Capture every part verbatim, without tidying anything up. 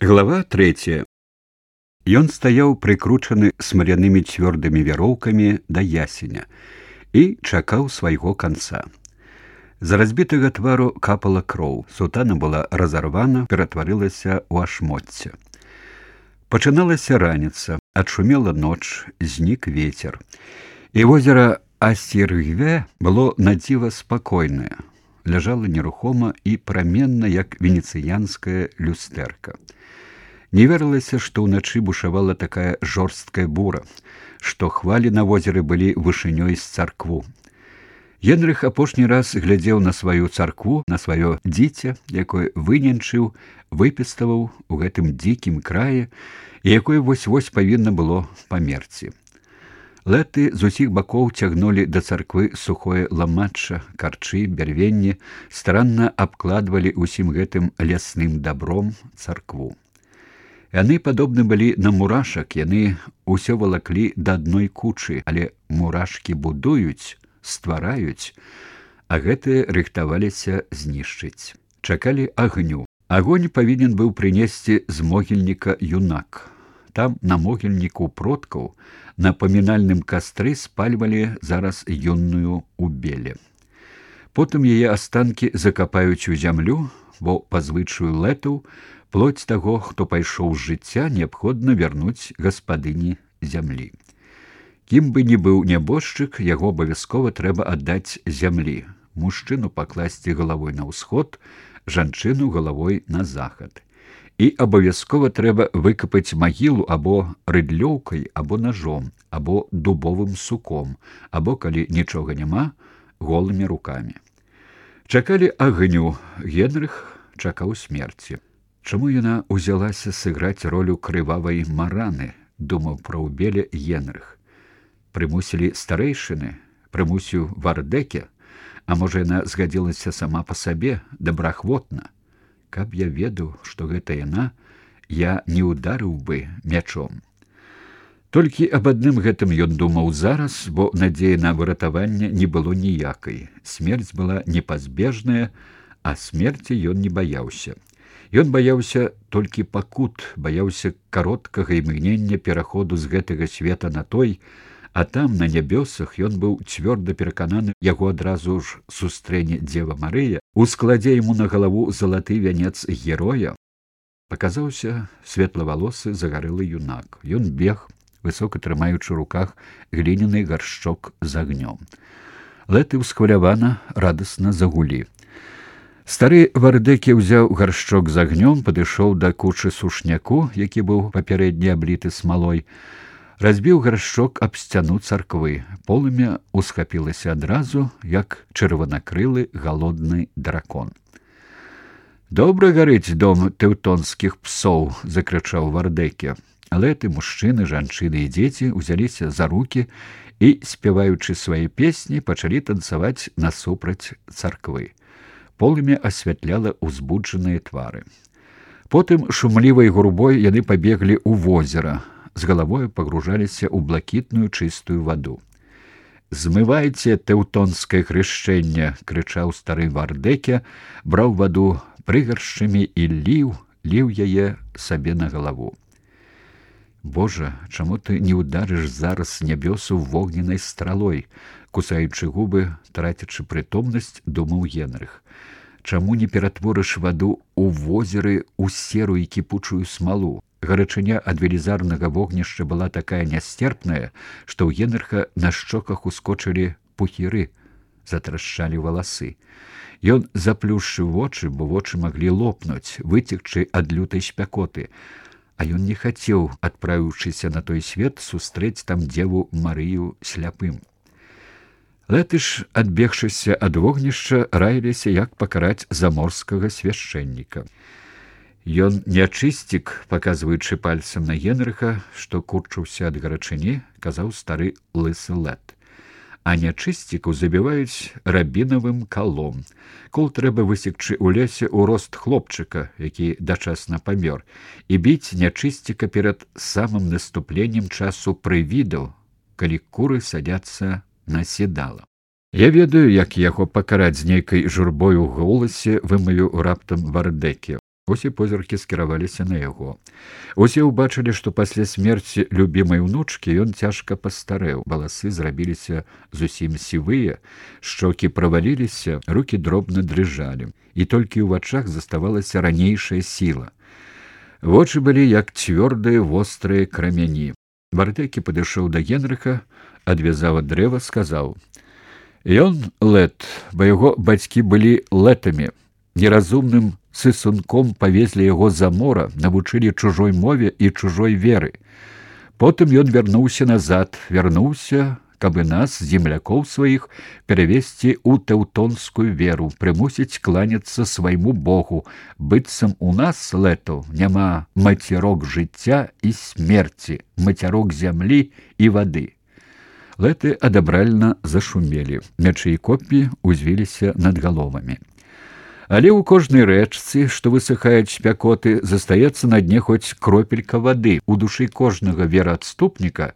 Глава третья. Ён стаяў прыкручаны смалянымі цвёрдымі вяроўкамі да ясеня і чакаў свайго канца. З разбітага твару капала кроў, сутана была разарвана, ператварылася ў ашмоцце. Пачыналася раніца, адшумела ноч, знік вецер. І возера Асіргве было надзіва спакойнае, ляжала нерухома і праменна, як венецыянская люстэрка. Не верылася, што ўначы бушавала такая жорсткая бура, што хвалі на возеры былі вышынёй з царкву. Генрых апошні раз глядзеў на сваю царкву, на сваё дзіця, якое выненчыў, выпіставаў у гэтым дзікім краі, і якое вось-вось павінна было памерці. Лэты з усіх бакоў цягнулі да царквы сухое ламачча, карчы, бярвенні, старанна абкладвалі усім гэтым лясным дабром царкву. Яны падобны былі на мурашак, яны ўсё валаклі да адной кучы, але мурашкі будуюць, ствараюць, а гэтыя рыхтаваліся знішчыць. Чакалі агню. Агонь павінен быў прынесці з могільніка юнак. Там, на могільніку продкаў, на памінальным кастры спальвалі зараз юнную убеле. Потым яе астанкі закапаюць у зямлю, бо па звычаю лэтаў плоть таго, хто пайшоў з жыцця, неабходна вярнуць гаспадыні зямлі. Кім бы ні быў нябожчык, яго абавязкова трэба аддаць зямлі. Мужчыну пакласці галавой на ўсход, жанчыну галавой на захад. І абавязкова трэба выкапаць магілу або рыдлёўкай, або ножом, або дубовым суком, або, калі нічога няма, голымі рукамі. Чакалі агню, Генрых чакаў смерці. Чаму яна ўзялася сыграць ролю крывавай мараны, думаў пра ўбеле Генрых. Прымусілі старэйшыны, прымусіў Вардэке, а можа яна згадзілася сама па сабе, добраахвотна. Каб я ведаў, што гэта яна, я не ударыў бы мячом. Толькі аб адным гэтым ён думаў зараз, бо надзеі на выратаванне не было ніякай. Смерць была непазбежная, а смерці ён не баяўся. Ён баяўся толькі пакут, баяўся кароткага імгнення пераходу з гэтага света на той, а там, на нябёсах, ён быў цвёрда перакананы, яго адразу ж сустрэне Дзева Марыя, ускладзе яму на галаву залаты вянец героя. Паказаўся светлавалосы загарэлы юнак. Ён бег, высока трымаючы ў руках гліняны гаршчок з агнём. Лэты ўсхвалявана радасна загулі. Стары Вардэке ўзяў гаршчок з агнём, падышоў да кучы сушняку, які быў папярэдне абліты смалой, разбіў гаршчок аб сцяну царквы. Полымя усхапілася адразу, як чырванакрылы галодны дракон. «Добра гарыць дом тэўтонскіх псоў!» — закрычаў Вардэке. Лэты, мужчыны, жанчыны і дзеці ўзяліся за рукі і, спяваючы свае песні, пачалі танцаваць насупраць царквы. Полымя асвятляла ўзбуджаныя твары. Потым шумлівай гурбой яны пабеглі ў возера, з галавою пагружаліся ў блакітную чыстую ваду. «Змывайце тэўтонскае хрышчэнне!» — крычаў стары Вардэке, браў ваду прыгаршчамі і ліў, ліў яе сабе на галаву. «Божа, чаму ты не ударыш зараз нябёсу вогненнай стралой?» — кусаючы губы, трацячы прытомнасць, думаў Генрых. «Чаму не ператворыш ваду ў возеры ў серую і кіпучую смалу?» Гарачыня ад велізарнага вогнішча была такая нястерпная, што ў Генрыха на шчоках ускочылі пухіры, затрашчалі валасы. Ён заплюшчыў вочы, бо вочы маглі лопнуць, выцекчы ад лютай спякоты. А ён не хацеў, адправіўшыся на той свет, сустрэць там Дзеву Марыю сляпым. Лэты ж, адбегшыся ад вогнішча, раіліся, як пакараць заморскага свяшчэнніка. Ён нячысцік, паказваючы пальцам на Генрыха, што курчыўся ад гарачыні, казаў стары лысы Лэт. А нячысцікаў забіваюць рабінавым калом. Кол трэба высекчы ў лесе ў рост хлопчыка, які дачасна памёр, і біць нячысціка перад самым наступленнем часу прывідаў, калі куры садяцца на седала. Я ведаю, як яго пакараць з нейкай журбой у голасе, вымавіў раптам Вардэке. Усе позіркі скіраваліся на яго. Усе ўбачылі, што пасля смерці любімай унучкі ён цяжка пастарэў. Валасы зрабіліся зусім сівыя, шчокі праваліліся, рукі дробна дрыжалі, і толькі ў вачах заставалася ранейшая сіла. Вочы былі як цвёрдыя вострыя крамяні. Вардэкі падышоў да Генрыха, адвязаў ад дрэва, сказаў: «Ён лэт, бо яго бацькі былі лэтамі. Неразумным сысунком павезлі яго за мора, навучылі чужой мове і чужой веры. Потым ён вярнуўся назад, вярнуўся, каб і нас, землякоў сваіх, перавесці ў тэўтонскую веру, прымусіць кланяцца свайму богу, быццам у нас, лэтаў, няма мацярок жыцця і смерці, мацярок зямлі і вады». Лэты адабральна зашумелі, мячы і коп'і узвіліся над галовамі. Але ў кожнай рэчцы, што высыхаюць спякоты, застаецца на дне хоць кропелька вады. У душы кожнага вераадступніка,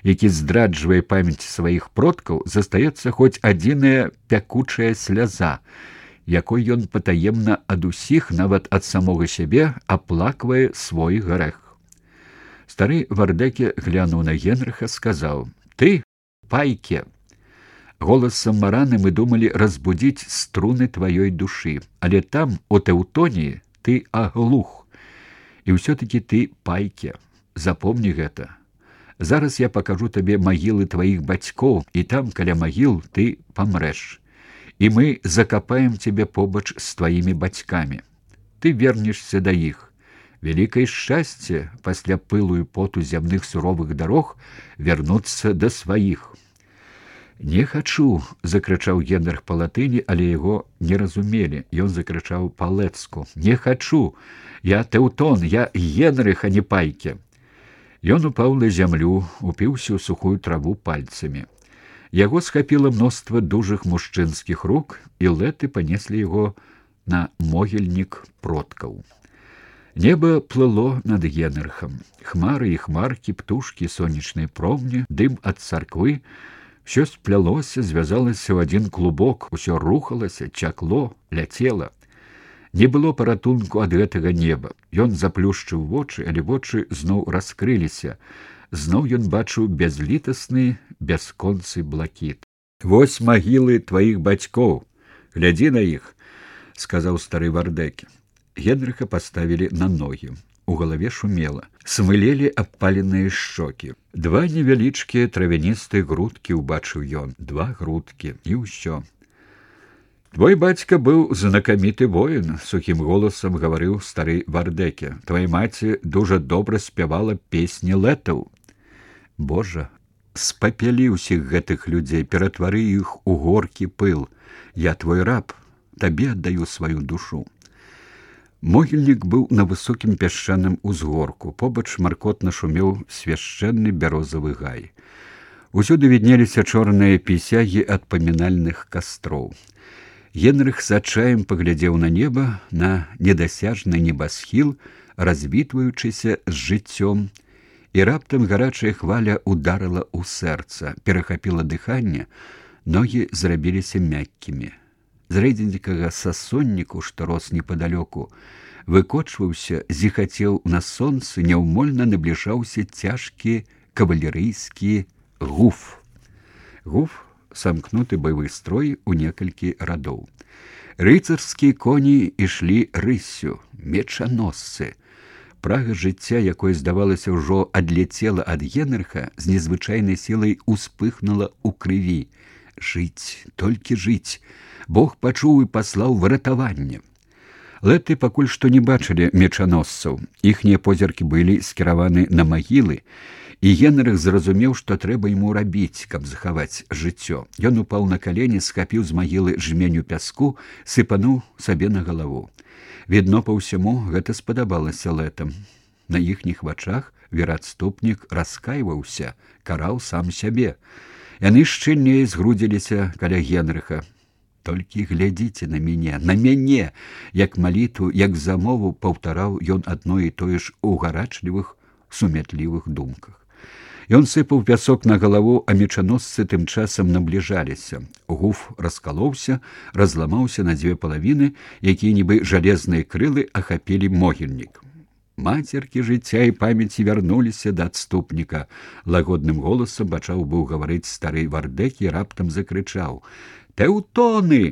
які здраджвае памяць сваіх продкаў, застаецца хоць адзіная пякучая сляза, якой ён патаемна ад усіх, нават ад самога сябе, аплаквае свой грэх. Стары Вардэкі глянуў на Генрыха, сказаў: «Ты, пайке, голасам мараны мы думалі разбудзіць струны тваёй душы, але там, у Тэўтоніі, ты аглух. І ўсё-такі ты пайке. Запомні гэта. Зараз я пакажу табе магілы тваіх бацькоў, і там, каля магіл, ты памрэш. І мы закапаем цябе побач з тваімі бацькамі. Ты вернешся да іх. Вялікае шчасце пасля пылу і поту зямных суровых дарог вярнуцца да сваіх». «Не хачу!» — закрычаў Генрых па латыні, але яго не разумелі. Ён закрычаў па-лэцку: «Не хачу! Я Тэўтон, я Генрых, а не пайке!» Ён упаў на зямлю, упіўся ў сухую траву пальцамі. Яго схапіла мноства дужых мужчынскіх рук, і лэты панеслі яго на могільнік продкаў. Неба плыло над Генрыхам. Хмары і хмаркі, птушкі, сонечныя промні, дым ад царквы — усё сплялося, звязалася ў адзін клубок, усё рухалася, цякло, ляцела. Не было паратунку ад гэтага неба. Ён заплюшчыў вочы, але вочы зноў раскрыліся. Зноў ён бачыў бязлітасны, бясконцы блакіт. «Вось магілы тваіх бацькоў. Глядзі на іх», — сказаў стары Вардэкі. Генрыха паставілі на ногі. У галаве шумела. Смылелі абпаленыя шчокі. Два невялічкія травяністыя грудкі ўбачыў ён. Два грудкі, і ўсё. «Твой бацька быў знакаміты воін», — сухім голасам гаварыў стары Вардэкі. «Твая маці дужа добра спявала песні лэтаў. Божа, спапялі ўсіх гэтых людзей, ператвары іх у горкі пыл. Я твой раб, табе аддаю сваю душу». Могільнік быў на высокім пясчаным узгорку. Побач маркотна шумеў свяшчэнны бярозавы гай. Усюды віднеліся чорныя пісягі ад памінальных кастроў. Генрых з адчаем паглядзеў на неба, на недасяжны небасхіл, развітваючыся з жыццём, і раптам гарачая хваля ударыла ў сэрца, перахапіла дыханне, ногі зрабіліся мяккімі. З рэдзенькага сасонніку, што рос непадалёку, выкочваўся, зіхацеў на сонцы, няўмольна набліжаўся цяжкі кавалерыйскі гуф. Гуф — самкнуты баявы строй у некалькі радоў. Рыцарскія коні ішлі рыссю, мечаносцы. Прага жыцця, якое, здавалася, ўжо адляцела ад Генрыха, з незвычайнай сілай успыхнула ў крыві. Жыць, толькі жыць. Бог пачуў і паслаў выратаванне. Лэты пакуль што не бачылі мечаносцаў. Іхнія позіркі былі скіраваны на магілы, і Генрых зразумеў, што трэба яму рабіць, каб захаваць жыццё. Ён упаў на калені, схапіў з магілы жменю пяску, сыпануў сабе на галаву. Відно па ўсяму, гэта спадабалася лэтам. На іхніх вачах вераадступнік раскайваўся, караў сам сябе. Яны шчыльней згрудзіліся каля Генрыха. «Толькі глядзіце на мяне, на мяне!» Як малітву, як замову паўтараў ён адно і тое ж у гарачлівых, сумятлівых думках. Ён сыпаў пясок на галаву, а мечаносцы тым часам набліжаліся. Гуф раскалоўся, разламаўся на дзве палавіны, якія нібы жалезныя крылы ахапілі могільнік. Мацеркі жыцця і памяці вярнуліся да адступніка. Лагодным голасам пачаў быў гаварыць стары Вардэк і раптам закрычаў: «Тэўтоны!